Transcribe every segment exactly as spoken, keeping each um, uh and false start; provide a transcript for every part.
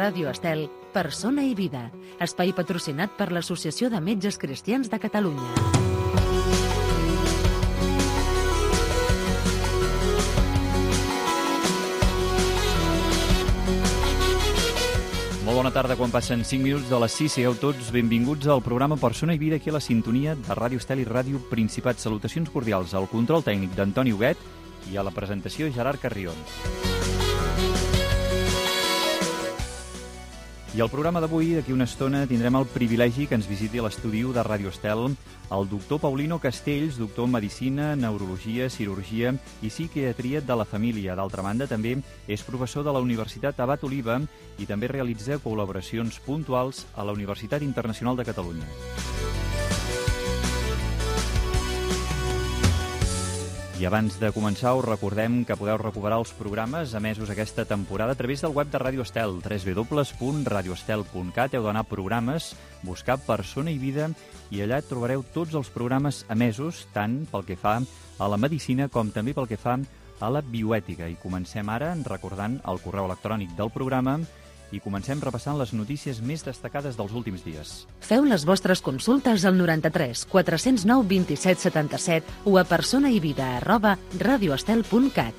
Ràdio Estel, Persona i Vida, espai patrocinat per l'Associació de Metges Cristians de Catalunya. Molt bona tarda, quan passen cinc minuts de les sis, sigueu tots benvinguts al programa Persona i Vida, aquí a la sintonia de Ràdio Estel i Ràdio Principat. Salutacions cordials al control tècnic d'Antoni Huguet i a la presentació Gerard Carrion. I al programa d'avui, d'aquí una estona, tindrem el privilegi que ens visiti a l'estudi de Ràdio Estel el doctor Paulino Castells, doctor en Medicina, Neurologia, Cirurgia i Psiquiatria de la Família. D'altra banda, també és professor de la Universitat Abat Oliba i també realitza col·laboracions puntuals a la Universitat Internacional de Catalunya. I abans de començar, us recordem que podeu recuperar els programes emesos aquesta temporada a través del web de Ràdio Estel, w w w punt radio estel punt cat. Heu d'anar a programes, buscar Persona i Vida i allà trobareu tots els programes emesos, tant pel que fa a la medicina com també pel que fa a la bioètica. I comencem ara recordant el correu electrònic del programa i comencem repassant les notícies més destacades dels últims dies. Feu les vostres consultes al noranta-tres quatre zero nou vint-i-set setanta-set o a personaivida arroba radioestel punt cat.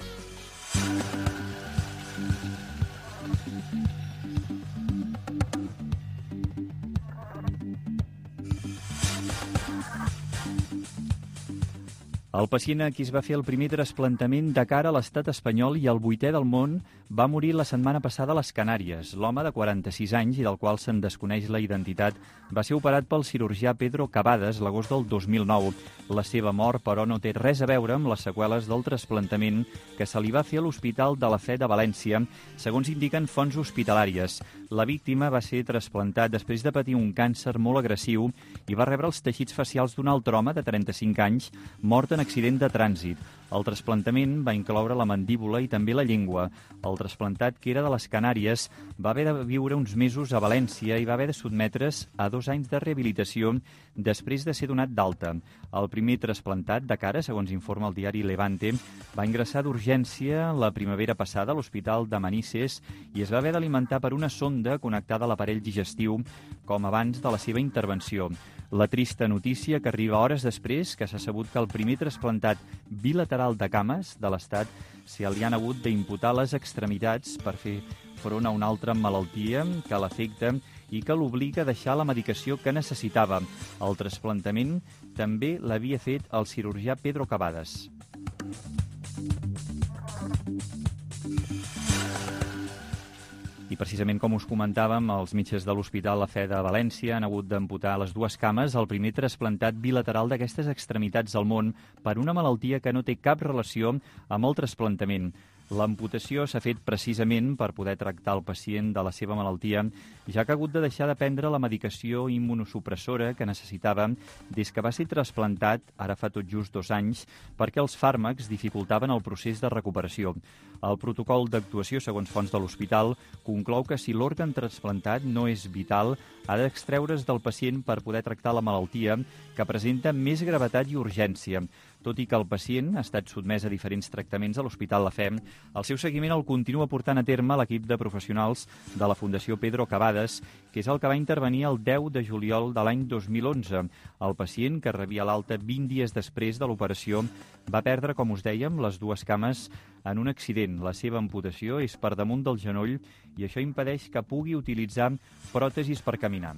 El pacient a qui es va fer el primer trasplantament de cara a l'estat espanyol i el vuitè del món va morir la setmana passada a les Canàries. L'home de quaranta-sis anys i del qual se'n desconeix la identitat va ser operat pel cirurgià Pedro Cavadas l'agost del dos mil nou. La seva mort, però, no té res a veure amb les seqüeles del trasplantament que se li va fer a l'Hospital de la Fe de València, segons indiquen fonts hospitalàries. La víctima va ser trasplantat després de patir un càncer molt agressiu i va rebre els teixits facials d'un altre home de trenta-cinc anys, mort en accident de trànsit. El trasplantament va incloure la mandíbula i també la llengua. El trasplantat, que era de les Canàries, va haver de viure uns mesos a València i va haver de sotmetre's a dos anys de rehabilitació després de ser donat d'alta. El primer trasplantat de cara, segons informa el diari Levante, va ingressar d'urgència la primavera passada a l'Hospital de Manises i es va haver d'alimentar per una sonda connectada a l'aparell digestiu, com abans de la seva intervenció. La trista notícia que arriba hores després que s'ha sabut que el primer trasplantat bilateral de cames de l'Estat se li han hagut d'imputar les extremitats per fer front a una altra malaltia que l'afecta i que l'obliga a deixar la medicació que necessitava. El trasplantament també l'havia fet el cirurgià Pedro Cavadas. I precisament com us comentàvem, els metges de l'Hospital La Fe de València han hagut d'amputar les dues cames el primer trasplantat bilateral d'aquestes extremitats al món per una malaltia que no té cap relació amb el trasplantament. L'amputació s'ha fet precisament per poder tractar el pacient de la seva malaltia, ja que ha hagut de deixar de prendre la medicació immunosupressora que necessitava des que va ser trasplantat, ara fa tot just dos anys, perquè els fàrmacs dificultaven el procés de recuperació. El protocol d'actuació, segons fonts de l'hospital, conclou que si l'òrgan trasplantat no és vital, ha d'extreure's del pacient per poder tractar la malaltia, que presenta més gravetat i urgència. Tot i que el pacient ha estat sotmès a diferents tractaments a l'Hospital La Fe, el seu seguiment el continua portant a terme l'equip de professionals de la Fundació Pedro Cavadas, que és el que va intervenir el deu de juliol de l'any dos mil onze. El pacient, que rebia l'alta vint dies després de l'operació, va perdre, com us dèiem, les dues cames en un accident. La seva amputació és per damunt del genoll i això impedeix que pugui utilitzar pròtesis per caminar.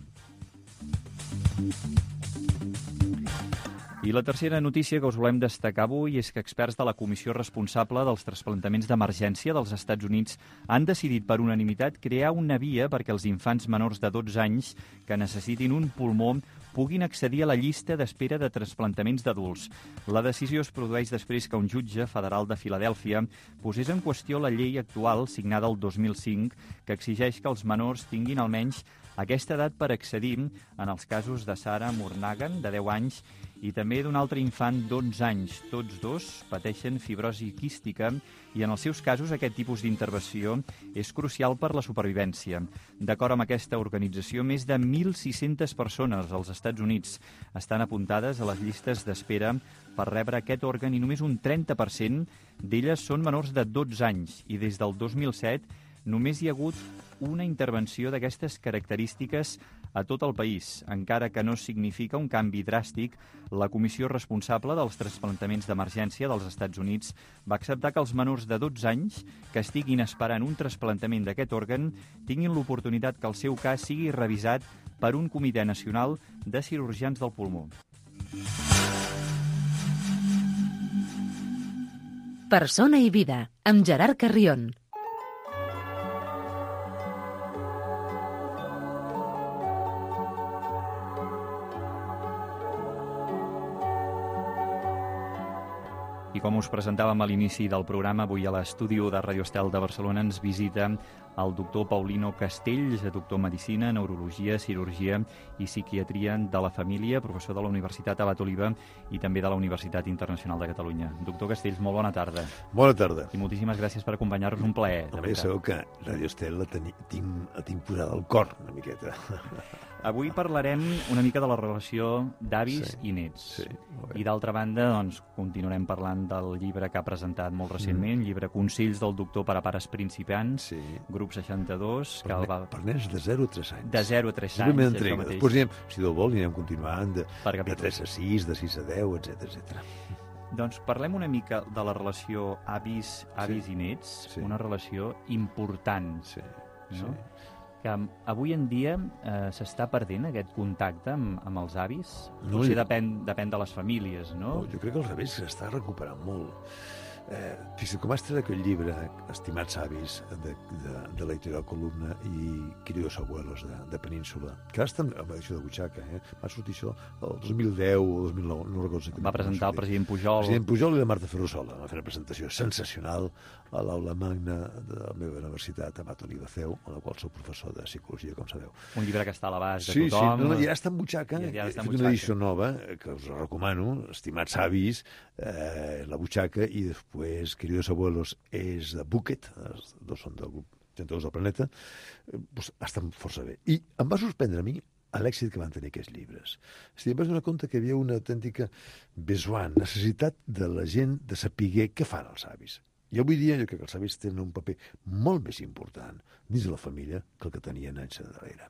I la tercera notícia que us volem destacar avui és que experts de la comissió responsable dels trasplantaments d'emergència dels Estats Units han decidit per unanimitat crear una via perquè els infants menors de dotze anys que necessitin un pulmó puguin accedir a la llista d'espera de trasplantaments d'adults. La decisió es produeix després que un jutge federal de Filadèlfia posés en qüestió la llei actual, signada el dos mil cinc, que exigeix que els menors tinguin almenys aquesta edat per accedir en els casos de Sarah Murnagan, de deu anys, i també d'un altre infant d'onze anys. Tots dos pateixen fibrosi quística i en els seus casos aquest tipus d'intervenció és crucial per la supervivència. D'acord amb aquesta organització, més de mil sis-centes persones als Estats Units estan apuntades a les llistes d'espera per rebre aquest òrgan i només un trenta per cent d'elles són menors de dotze anys i des del dos mil set només hi ha hagut una intervenció d'aquestes característiques a tot el país. Encara que no significa un canvi dràstic, la comissió responsable dels trasplantaments d'emergència dels Estats Units va acceptar que els menors de dotze anys que estiguin esperant un trasplantament d'aquest òrgan tinguin l'oportunitat que el seu cas sigui revisat per un comitè nacional de cirurgians del pulmó. Persona i vida, amb Gerard Carrión. I com us presentàvem a l'inici del programa, avui a l'estudi de Ràdio Estel de Barcelona ens visita el doctor Paulino Castells, doctor en Medicina, Neurologia, Cirurgia i Psiquiatria de la Família, professor de la Universitat Abat Oliva i també de la Universitat Internacional de Catalunya. Doctor Castells, molt bona tarda. Bona tarda. I moltíssimes gràcies per acompanyar-nos, un plaer. Home, ja sabeu que Ràdio Estel la, teni, tinc, la tinc posada al cor, una miqueta. Avui parlarem una mica de la relació d'avis sí, i nets. Sí, I d'altra banda, doncs, continuarem parlant del llibre que ha presentat molt recentment, mm. llibre Consells del doctor per a pares principiants, sí. grup seixanta-dos. Per, que el va... per nens de zero a tres anys. De zero a tres anys. La primera entrega. Després, anirem, si Déu vol, anirem continuant de, de tres a sis, de sis a deu, etcètera, etcètera. Doncs parlem una mica de la relació avis, avis sí. i nets, sí. una relació important. Sí, no? sí. Que avui en dia eh, s'està perdent aquest contacte amb, amb els avis? No, Potser jo... depèn, depèn de les famílies, no? no? Jo crec que al revés s'està recuperant molt. Eh, fixa't, com has tret aquell llibre, Estimats avis, de, de, de l'editorial Columna i Queridos abuelos, de, de Península, que ara estan amb edició de butxaca, eh? Va sortir això el dos mil deu o dos mil nou, no recordo exactament. Va presentar el president Pujol. El president Pujol i la Marta Ferrusola. Va fer una presentació sensacional a l'aula magna de la meva universitat, Abat Oliva C E U, en la qual soc professor de psicologia, com sabeu. Un llibre que està a l'abast de sí, tothom. Sí, no, ja està en butxaca. Ja, ja he està en fet una edició nova, que us recomano, Estimats avis, eh, la butxaca, i després Queridos abuelos és de Bucket, els dos són del grup trenta-dos del Planeta, eh, doncs estan força bé. I em va sorprendre a mi l'èxit que van tenir aquests llibres. És a dir, em vaig donar compte que hi havia una autèntica besoin, necessitat de la gent de saber què fan els avis. I avui dia jo crec que els avis tenen un paper molt més important dins de la família que el que tenien anys darrere.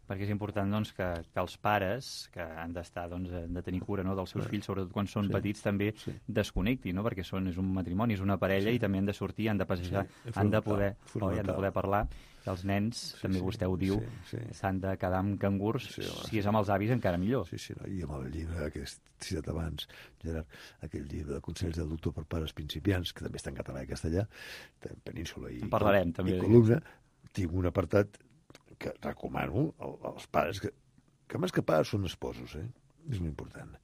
Perquè és important doncs, que, que els pares, que han d'estar, doncs, han de tenir cura, no, dels seus fills, sobretot quan són sí, petits, també sí. desconnectin, no? Perquè són, és un matrimoni, és una parella sí. i també han de sortir, han de passejar, sí, han, de poder, oh, han de poder parlar. I els nens, sí, també sí, vostè ho diu, s'han sí, sí. de quedar amb cangurs, sí, si és amb els avis encara millor. Sí, sí, no? I amb el llibre que he citat abans, Gerard, aquell llibre de Consells del doctor per pares principiants, que també està en català i castellà, de Península i, parlarem, i, també, i Columna, tinc un apartat que recomano als pares, que, que més que pares són esposos, eh? És molt important.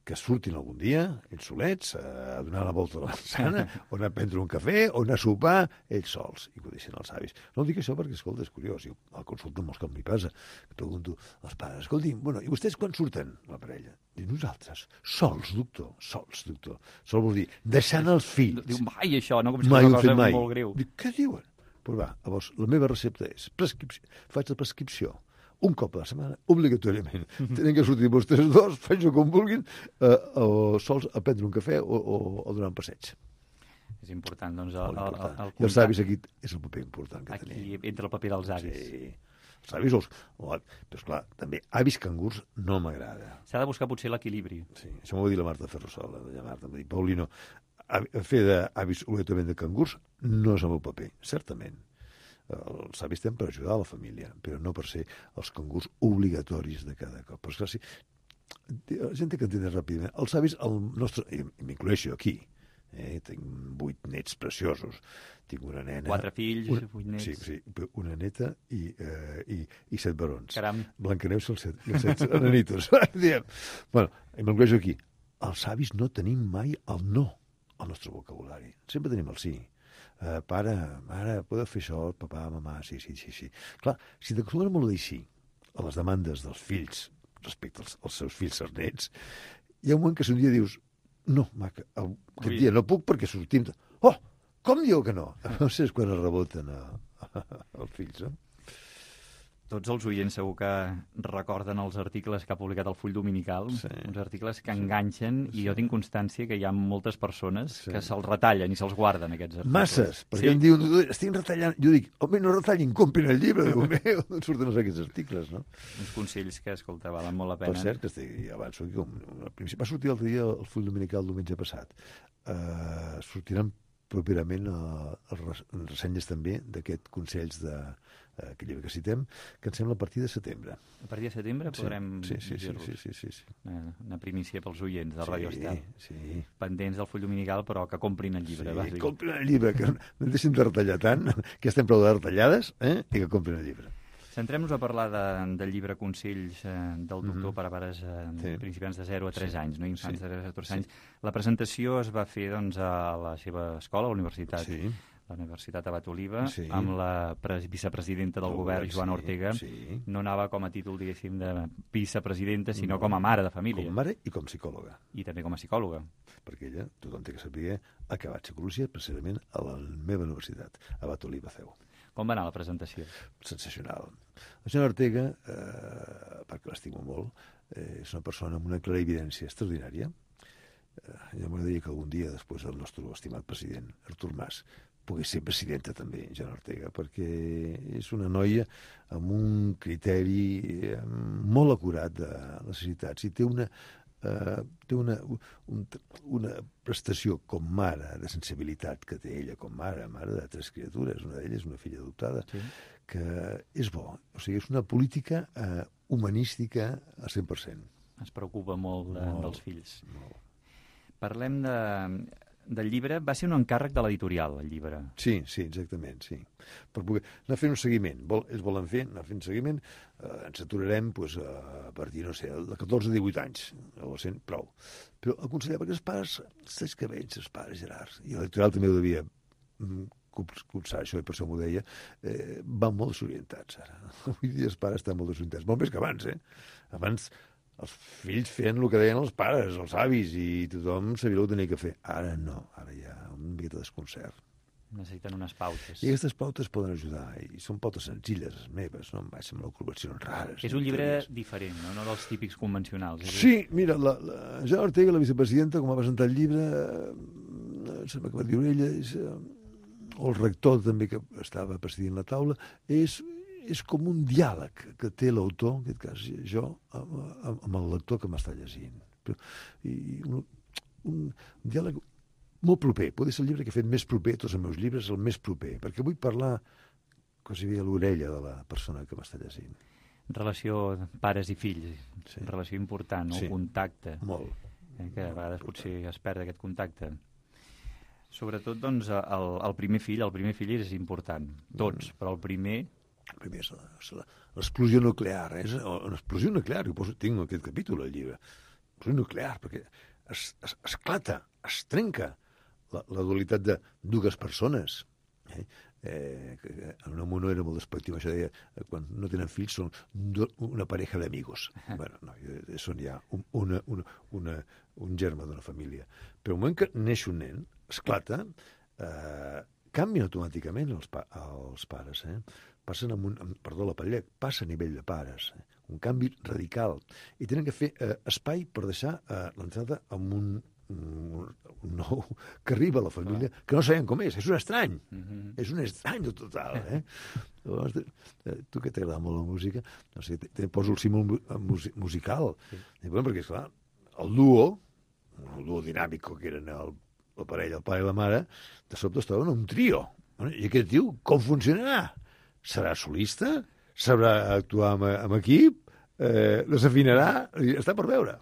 Que surtin algun dia, ells solets, a donar la volta a la manzana, o anar a prendre un cafè, o anar a sopar, ells sols, i que ho deixin els avis. No dic això perquè, escolta, és curiós, jo al consulta molts cops m'hi passa, que pregunto als pares, escolti'm, bueno, i vostès quan surten, la parella? Diu, nosaltres, sols, doctor, sols, doctor. Sol vol dir, deixant els fills. Diu, mai això, no? Com si mai fos una cosa mai. molt greu. Dic, què diuen? Però va, llavors, la meva recepta és prescripció. Faig la prescripció un cop a la setmana, obligatòriament. Tenen que sortir vostès dos, faig-ho com vulguin, eh, o sols a prendre un cafè o, o, o donar un passeig. És important, doncs, el, el, el, el I els avis aquí és el paper important que aquí tenim. Aquí entra el paper dels avis. Sí. Els avis, els... però esclar, també avis cangurs no m'agrada. S'ha de buscar potser l'equilibri. Sí, això m'ho va dir la Marta Ferrusola, la Marta, em va dir, Paulino, fer d'avis obligatòriament de cangurs no és el meu paper, certament. Els avis tenen per ajudar a la família, però no per ser els cangurs obligatoris de cada cop. Però esclar, sí, la gent té que entendre ràpidament. Els avis, el nostre, i m'incloeixo aquí, eh, tinc vuit nets preciosos, tinc una nena... Quatre fills, una, vuit nets... Sí, sí, una neta i, eh, i, i set barons. Caram. Blancaneus i els set, i els set enanitos. Bueno, m'incloeixo aquí. Els avis no tenim mai el no al nostre vocabulari. Sempre tenim el sí. Uh, pare, mare, podeu fer això, papà, mamà, sí, sí, sí, sí. Clar, si t'acostumes molt a dir sí a les demandes dels fills respecte als, als seus fills, als nets, hi ha un moment que si un dia dius no, maca, aquest dia no puc perquè sortim... Oh, com diu que no? No sé quan es reboten a, a, als fills, no? Tots els oients segur que recorden els articles que ha publicat el Full Dominical, sí. uns articles que enganxen, sí. i jo tinc constància que hi ha moltes persones sí. que se'ls retallen i se'ls guarden, aquests articles. Masses, perquè sí. em diuen, estic retallant, jo dic, home, no retallin, comprin el llibre, Déu meu, d'on surten aquests articles, no? Uns consells que, escolta, valen molt la pena. Per cert, que estic, avanço aquí, al principi, va sortir l'altre dia el Full Dominical el diumenge passat. Uh, sortiran properament uh, les ressenyes també d'aquest consells de uh, aquest llibre que citem, que em sembla a partir de setembre. A partir de setembre podrem sí, sí, sí, dir-los. Sí, sí, sí, sí. Una, una primícia pels oients de sí, Ràdio Estel. Sí. Pendents del Full Dominical, però que comprin el llibre. Sí, que comprin el llibre, que no deixin de retallar tant, que estem prou de retallades, eh? I que comprin el llibre. Centrem-nos a parlar de, del llibre Consells eh, del doctor mm-hmm. per a pares eh, sí. principiants de zero a tres sí. anys, no? Infants sí. de zero a tres anys. Sí. La presentació es va fer doncs, a la seva escola, a la universitat, sí. la Universitat Abat Oliba, sí. amb la pres vicepresidenta del oh, govern, Joana sí. Ortega. Sí. No anava com a títol, diguéssim, de vicepresidenta, sinó no. com a mare de família. Com mare i com psicòloga. I també com a psicòloga. Perquè ella, tothom té que saber, ha acabat psicologia precisament a la meva universitat, Abat Oliba C E U. Com va anar la presentació? Sensacional. La senyora Ortega, eh, perquè l'estimo molt, eh, és una persona amb una clara evidència extraordinària. Eh, jo m'agradaria que algun dia, després del nostre estimat president, Artur Mas, pogués ser presidenta també, Joana Ortega, perquè és una noia amb un criteri eh, molt acurat de necessitats i té una Uh, té una, un, una prestació com mare de sensibilitat que té ella com mare, mare de tres criatures, una d'elles una filla adoptada, sí. que és bo. O sigui, és una política uh, humanística al cent per cent. Es preocupa molt, de, molt dels fills. Molt. Parlem de, del llibre. Va ser un encàrrec de l'editorial, el llibre. Sí, sí, exactament, sí. Per poder anar fent un seguiment. Vol, es volen fer, anar fent seguiment. Eh, ens aturarem pues, a partir, no sé, de catorze a divuit anys. O sent prou. Però aconsellar, perquè els pares, els cabells, els pares, Gerard, i l'editorial també ho devia cursar això, i per això m'ho deia, eh, van molt desorientats, ara. Avui dia els pares estan molt desorientats. Molt més que abans, eh? Abans els fills feien el que deien els pares, els avis, i tothom sabia el que tenia que fer. Ara no, ara hi ha una miqueta de desconcert. Necessiten unes pautes. I aquestes pautes poden ajudar, i són pautes senzilles, les meves, no em vaig amb ocupacions rares. És un llibre diferent, no? No dels típics convencionals. És sí, mira, la, la Joana Ortega, la vicepresidenta, com va presentar el llibre, eh, sembla que va dir ella, és, eh, o el rector també, que estava presidint la taula, és, és com un diàleg que té l'autor, en aquest cas jo, amb, amb el lector que m'està llegint. Però, i un, un diàleg molt proper. Pot ser el llibre que he fet més proper, tots els meus llibres, el més proper, perquè vull parlar quasi bé a l'orella de la persona que m'està llegint. Relació pares i fills, sí. Relació important, no? Sí. Contacte. Molt. Eh, que a vegades potser es perd aquest contacte. Sobretot, doncs, el, el primer fill, el primer fill és important, tots, mm. però el primer... El primer és l'explosió nuclear, és una explosió nuclear, jo poso, tinc aquest capítol al llibre, explosió nuclear, perquè es, es, esclata, es trenca la, la dualitat de dues persones. Eh? Eh, que en una mono era molt despectiu, això deia, quan no tenen fills són do, una pareja d'amigos. Bueno, no, són ja un, una, una, una, un germe d'una família. Però el moment que neix un nen, esclata, eh, canvien automàticament els, pa, els pares, eh? Passen amb un, amb, perdó, la Patllec, passa a nivell de pares, eh? Un canvi radical. I tenen que fer eh, espai per deixar eh, l'entrada amb un, un, un nou que arriba a la família, ah. que no sabem com és, és un estrany, mm-hmm. és un estrany total, eh? Llavors, eh, tu que t'agrada molt la música, no sé, te, te poso el símbol musical, sí. I, bueno, perquè, esclar, el duo, el duo dinàmic que eren el, la parella, el pare i la mare, de sobte es troben un trio. Bueno, i aquest tio, com funcionarà? Serà solista? Sabrà actuar amb, amb equip? Eh, desafinarà? Està per veure.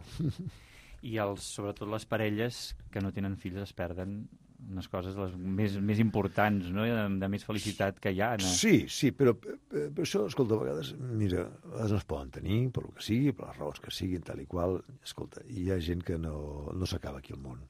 I els, sobretot les parelles que no tenen fills es perden unes coses les més, més importants, no? de, de més felicitat que hi ha. No? Sí, sí, però, però això, escolta, a vegades, mira, a vegades no es poden tenir, per el que sigui, per les raons que siguin, tal i qual. Escolta, hi ha gent que no, no s'acaba aquí al món.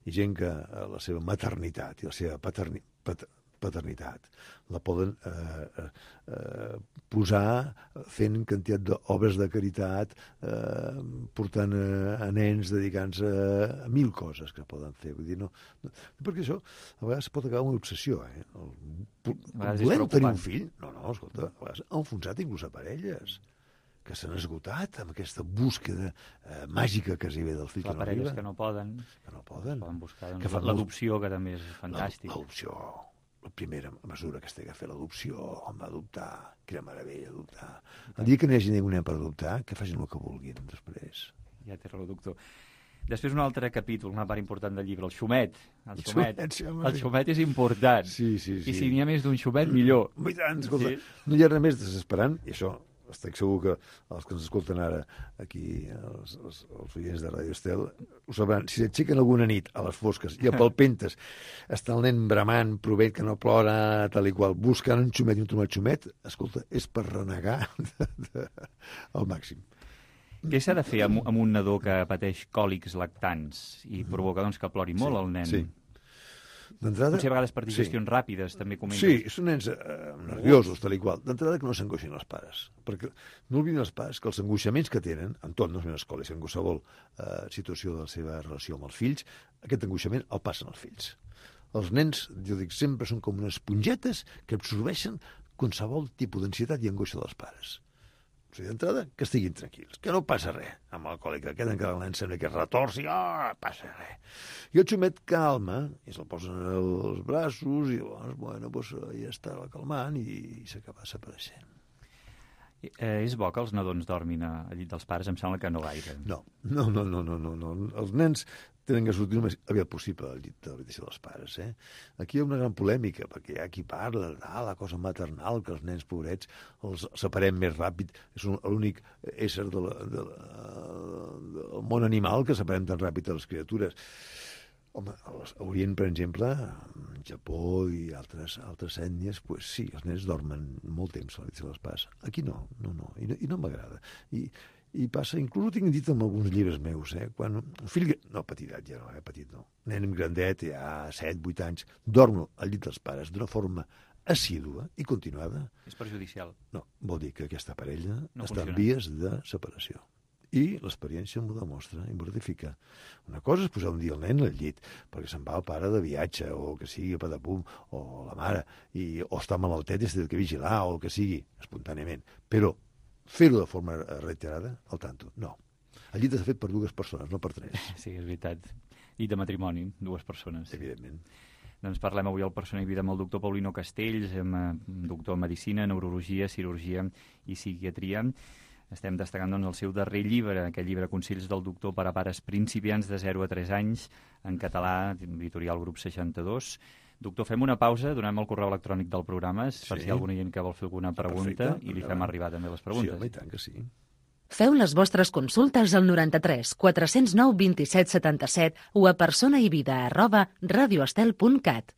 Hi ha gent que la seva maternitat i la seva paternitat, pat, paternitat. La poden eh, eh, posar fent quantitat d'obres de caritat, eh, portant a, a nens, dedicant-se a, a mil coses que poden fer. Vull dir, no, no, perquè això a vegades pot acabar una obsessió. Eh? El, volem tenir un fill? No, no, escolta, a vegades ha enfonsat inclús a parelles que s'han esgotat amb aquesta búsqueda eh, màgica que s'hi ve del fill. Les parelles que no poden, que no poden. poden buscar doncs, que fan l'adopció, que també és fantàstic. L'adopció, la primera mesura que es té que fer l'adopció, home, adoptar, quina meravella, adoptar. El dia que no hi hagi ningú nen per adoptar, que facin el que vulguin després. Ja té raó, doctor. Després un altre capítol, una part important del llibre, el xumet. El xumet, el xumet, sí, el xumet és important. Sí, sí, sí. I si n'hi ha més d'un xumet, millor. I tant, escolta, Sí. no hi ha res més desesperant, i això estic segur que els que ens escolten ara aquí, els, els, els oients de Radio Estel, ho sabran. Si s'aixequen alguna nit a les fosques i a palpentes està el nen bramant, provent que no plora, tal i qual, buscant un xumet i un trobat xumet, escolta, és per renegar de, de, al màxim. Què s'ha de fer amb, amb un nadó que pateix còlics lactants i provoca doncs, que plori molt Sí, el nen? sí. D'entrada... Potser a vegades per digestions sí. ràpides, també comentes. Sí, són nens eh, nerviosos, tal i qual. D'entrada que no s'angoixin els pares. Perquè no oblidin els pares que els angoixaments que tenen, en tot, no és una escola, és en qualsevol eh, situació de la seva relació amb els fills, aquest angoixament el passen els fills. Els nens, jo dic, sempre són com unes espongetes que absorbeixen qualsevol tipus d'ansietat i angoixa dels pares. O sigui, d'entrada, que estiguin tranquils, que no passa res amb el còlic, que queden que el nen sembla que es retorci, oh, passa res. I el xumet calma, i se'l posen als braços, i llavors, bueno, doncs, ja està calmant i, i s'acaba desapareixent. Eh, és bo que els nadons dormin a, al llit dels pares? Em sembla que no gaire. No, no, no, no, no, no, no. Els nens tenen que sortir el més aviat possible del llit de l'habitació dels pares. Eh? Aquí hi ha una gran polèmica, perquè hi ha qui parla de ah, la cosa maternal, que els nens pobrets els separem més ràpid. És un, l'únic ésser de la, de la, del món animal que separem tan ràpid de les criatures. Home, a l'Orient, per exemple, al Japó i altres, altres ètnies, pues sí, els nens dormen molt temps a l'habitació dels pares. Aquí no, no, no, i no, i no m'agrada. I, I passa, inclús ho tinc dit en alguns llibres meus, eh? Quan un fill, no, petitat ja no, eh? petit no, nen grandet, ja set, vuit anys, dorm al llit dels pares d'una forma assídua i continuada. És perjudicial. No, vol dir que aquesta parella No està funciona. en vies de separació. I l'experiència m'ho demostra i m'ho ratifica. Una cosa és posar un dia el nen al llit, perquè se'n va el pare de viatge, o que sigui a Padapum, o la mare, i, o està malaltet i s'ha de vigilar, o el que sigui, espontàniament. Però fer-ho de forma reiterada, al tanto, no. El llit està fet per dues persones, no per tres. Sí, és veritat. Llit de matrimoni, dues persones. Evidentment. Doncs parlem avui al Persona i Vida amb el doctor Paulino Castells, amb, doctor en Medicina, Neurologia, Cirurgia i Psiquiatria. Estem destacant doncs, el seu darrer llibre, aquest llibre Consells del doctor per a pares principiants de zero a tres anys, en català, editorial Grup seixanta-dos. Doctor, fem una pausa, donem el correu electrònic del programa, sí. per si hi ha alguna gent que vol fer alguna pregunta, Perfecte. i li fem arribar també les preguntes. Sí, home, i tant que sí. Feu les vostres consultes al noranta-tres quatre cents nou vint-i-set setanta-set o a personaivida arroba radioestel punt cat.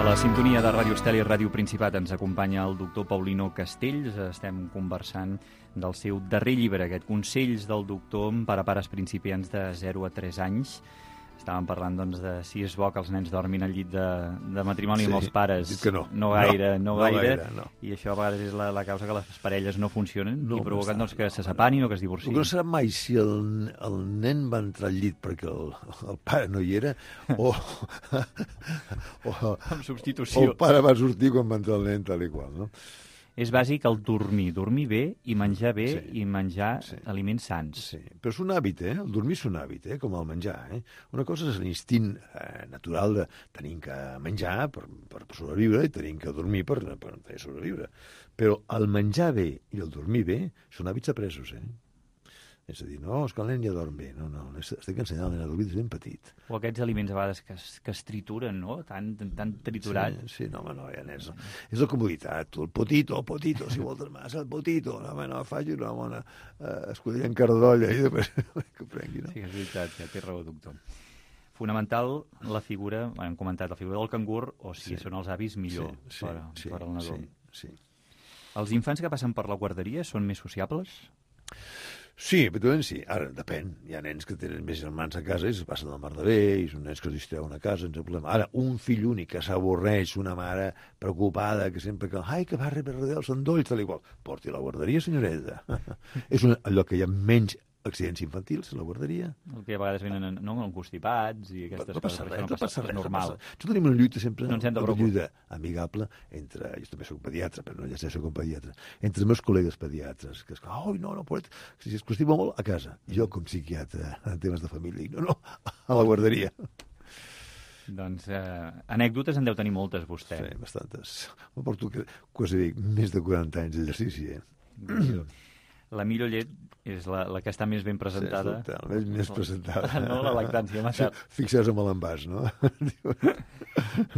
A la sintonia de Ràdio Estel i Ràdio Principat ens acompanya el doctor Paulino Castells. Estem conversant del seu darrer llibre, aquest Consells del doctor per a pares principiants de zero a tres anys. Estàvem parlant doncs, de si és bo que els nens dormin al llit de, de matrimoni Sí, amb els pares. dic que no. No gaire, no, No, no gaire. gaire, no. I això a vegades és la, la causa que les parelles no funcionen No, i provoquen no doncs, que està, se no, separin no. o que es El divorciïn. que no serà mai si el, el nen va entrar al llit perquè el, el pare no hi era o, o, Amb o substitució. el pare va sortir quan va entrar el nen tal i qual, no? És bàsic el dormir, dormir bé i menjar bé Sí. i menjar Sí. aliments sans. Sí, però és un hàbit, eh? El dormir és un hàbit, eh? Com el menjar, eh? Una cosa és l'instint eh, natural de tenim que menjar per, per sobreviure i tenim que dormir per, per, per sobreviure. Però el menjar bé i el dormir bé són hàbits apresos, eh? És a dir, no, és que el nen ja dorm bé. No, no, estic ensenyant al nen a dormir des ben petit. O aquests aliments a vegades que es, que es trituren, no? Tan, tan triturat. Sí, sí, no, home, no, ja és, és la comoditat. El potito, el potito, si vols massa, el potito. No, home, no, faci una bona eh, escudella en cardolla i després que prengui, no? Sí, és veritat, ja té raó, doctor. Fonamental la figura, hem comentat, la figura del cangur, o si sí. són els avis, millor sí, sí, per, sí, per al nadó. Sí, sí. Els infants que passen per la guarderia són més sociables? Sí, habitualment sí. Ara, depèn. Hi ha nens que tenen més germans a casa i es passen del mar de bé, i són nens que es distreuen a casa, sense problema. Ara, un fill únic que s'avorreix, una mare preocupada, que sempre que... Ai, que va rebre els endolls, tal i qual. Porti a la guarderia, senyoreta. És un lloc que hi ha menys accidents infantils a la guarderia. El que a vegades venen no, constipats i aquestes no passa coses. Res, no passa, passa res, normal. no passa. Jo tenim una lluita sempre, no una lluita amigable entre, jo també soc pediatre, però no ja sé, soc un pediatre, entre els meus col·legues pediatres, que és que, oi, no, no, poret, si es constipa molt, a casa. Jo, com psiquiatre, en temes de família, dic, no, no, a la guarderia. Doncs eh, anècdotes en deu tenir moltes, vostè. Sí, bastantes. Me porto quasi més de quaranta anys d'exercici, eh? La millor llet és la, la que està més ben presentada. Sí, la més, més presentada. No, la lactància materna. Fixeu-vos amb l'envàs, no?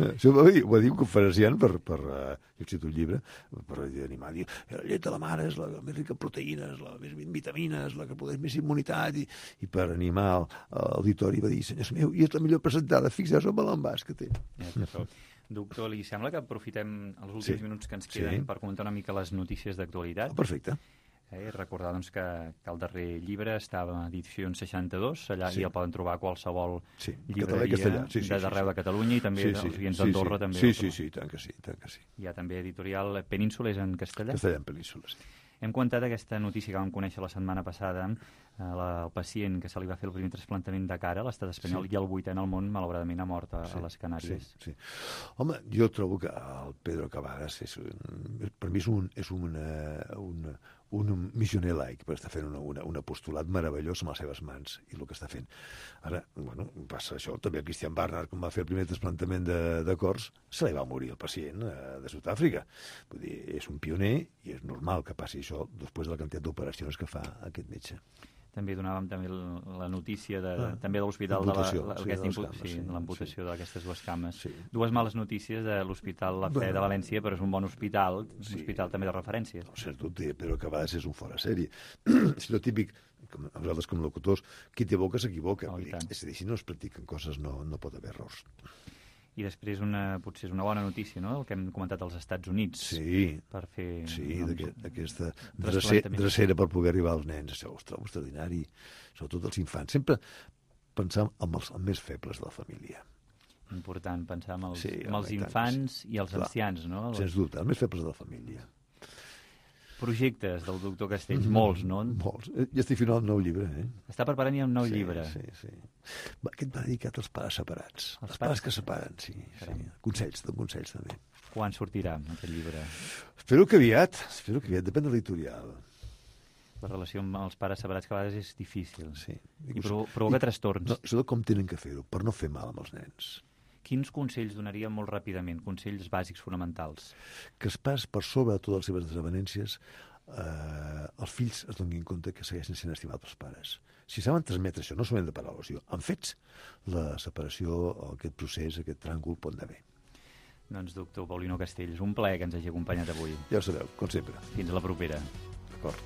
Això ho va dir, ho va dir un conferenciant per, per uh, jo cito un llibre, per animar, diu, la llet de la mare és la més rica en proteïnes, la més en vitamines, la que produeix més immunitat, i, i per animar l'auditori va dir, senyors meu, i és la millor presentada, fixeu-vos amb l'envàs que té. Ja, doctor, li sembla que aprofitem els últims sí. minuts que ens queden sí. per comentar una mica les notícies d'actualitat? Oh, perfecte. Eh, recordar doncs, que, que el darrer llibre estava a Edicions seixanta-dos, allà sí. i el poden trobar a qualsevol sí. llibreria sí, sí, d'arreu sí, sí. de Catalunya i també sí, sí, els oients sí, d'Andorra. Sí, també sí, sí, sí, tant que sí, tant que sí. Hi ha també editorial Península, és en castellà? Castellà en Península, sí. Hem comentat aquesta notícia que vam conèixer la setmana passada, eh, la, el pacient que se li va fer el primer trasplantament de cara a l'estat espanyol sí. i el vuitè en el món, malauradament, ha mort a, sí, a les Canàries. Sí, sí. Home, jo trobo que el Pedro Cavadas és un, per mi és un, és una, un, un missioner laic, perquè està fent una, una, un apostolat meravellós amb les seves mans i el que està fent. Ara, bueno, passa això, també el Christian Barnard, quan va fer el primer trasplantament de, de cors, se li va morir el pacient eh, de Sud-àfrica. Vull dir, és un pioner i és normal que passi això després de la quantitat d'operacions que fa aquest metge. També donàvem també la notícia de, ah, també de l'hospital de la, la, sí, de cames, sí, sí, l'amputació sí. d'aquestes dues cames. Sí. Dues males notícies de l'Hospital La Fe bueno, de València, però és un bon hospital, un sí. hospital també de referència. No, sens dubte, però que a vegades és un fora sèrie. És lo típic, com, nosaltres com locutors, qui té boca s'equivoca. Oh, és a dir, si no es practiquen coses no, no pot haver errors. I després una, potser és una bona notícia, no?, el que hem comentat als Estats Units. Sí, per fer, sí doncs, aquesta drecera, drecera per poder arribar als nens. Això ho trobo extraordinari, sobretot els infants. Sempre pensar en els, els més febles de la família. Important, pensar en els, sí, en els infants sí. i els Clar, ancians, no? Sens dubte, els més febles de la família. Projectes del doctor Castells, molts, no? Molts. Ja estic fent el nou llibre, eh? Està preparant ja un nou sí, llibre. Sí, sí. Aquest va dedicat als pares separats. Els, els pares, pares que separen, sí. sí. Consells, de consells també. Quan sortirà aquest llibre? Espero que aviat, espero que aviat, depèn de l'editorial. La relació amb els pares separats que a vegades és difícil. Sí. I provoca trastorns. No, sobretot com tenen que fer-ho, per no fer mal amb els nens. Quins consells donaria molt ràpidament, consells bàsics fonamentals? Que els pares, per sobre de totes les seves desavenències, eh, els fills es donin compte que segueixen sent estimats pels pares. Si saben transmetre això, no solament de paraules, en fets, la separació, aquest procés, aquest tràngol pot anar bé. Doncs, doctor Paulino Castells, un plaer que ens hagi acompanyat avui. Ja ho sabeu, com sempre. Fins a la propera. D'acord.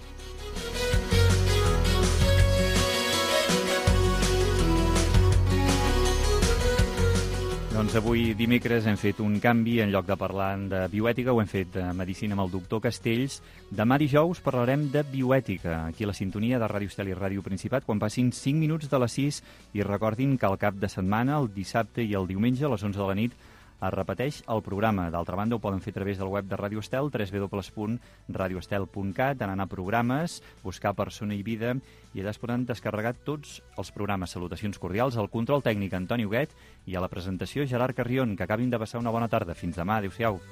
Doncs avui, dimecres, hem fet un canvi. En lloc de parlar de bioètica, ho hem fet de medicina amb el doctor Castells. Demà dijous parlarem de bioètica, aquí a la sintonia de Ràdio Estel i Ràdio Principat, quan passin cinc minuts de les sis. I recordin que al cap de setmana, el dissabte i el diumenge, a les onze de la nit, es repeteix el programa. D'altra banda, ho poden fer a través del web de Ràdio Estel, w w w punt radio estel punt cat, anar a programes, buscar Persona i Vida, i allà es poden descarregar tots els programes. Salutacions cordials al control tècnic Antoni Huguet i a la presentació Gerard Carrion. Que acabin de passar una bona tarda. Fins demà. Adéu-siau.